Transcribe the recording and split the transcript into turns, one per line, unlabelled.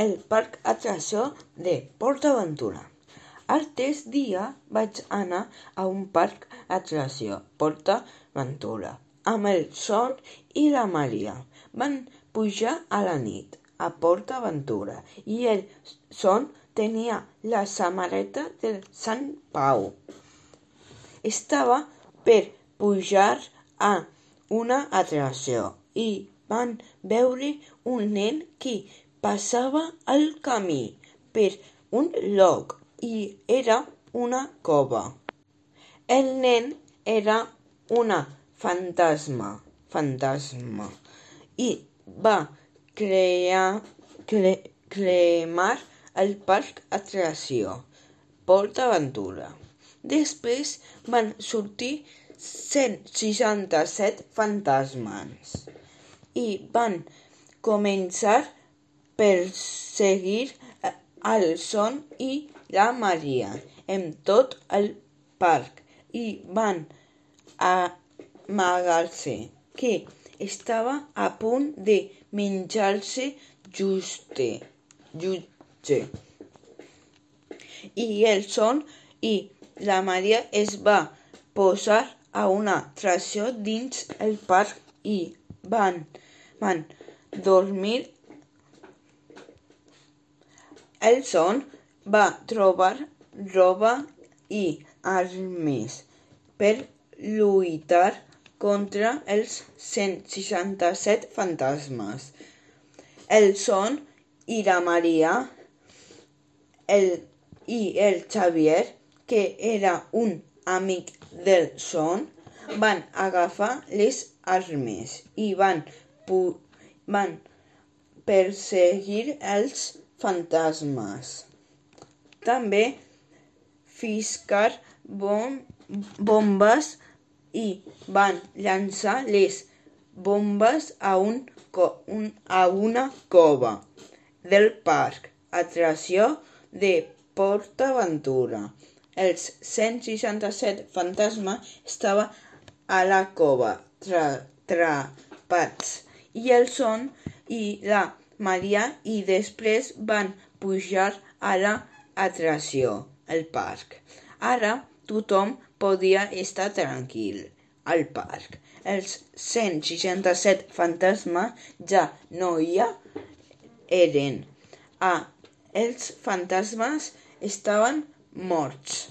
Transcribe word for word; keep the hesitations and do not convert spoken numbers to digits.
el parc atracció de PortAventura. Altres dia vaig anar a un parc atracció, PortAventura, amb el Son i la Maria. Van pujar a la nit a PortAventura i el Son tenia la samarreta del Sant Pau. Estava per pujar a una atracció i van veure un nen que passava al camí per un lloc i era una cova. El nen era una fantasma, fantasma i va crear, cre, cremar el parc atracció PortAventura. Després van sortir cent seixanta-set fantasmes i van començar a perseguir el Son i la Maria en tot el parc i van amagar-se que estava a punt de menjar-se Juste. Jutge. I el Son i la Maria es va posar a una atracció dins el parc i van, van dormir. El Son va trobar roba i armes per lluitar contra els cent seixanta-set fantasmes. El Son i la Maria el, i el Xavier, que era un amic del Son, van agafar les armes i van, pu, van perseguir els fantasmes. També fiscar bom, bombes i van llançar les bombes a, un, un, a una cova del parc atracció de PortAventura. Els cent seixanta-set fantasmes estaven a la cova atrapats i el Son i la Maria i després van pujar a la atracció, el parc. Ara tothom podia estar tranquil al parc. Els cent seixanta-set fantasmes ja no hi eren. Ah, els fantasmes estaven morts.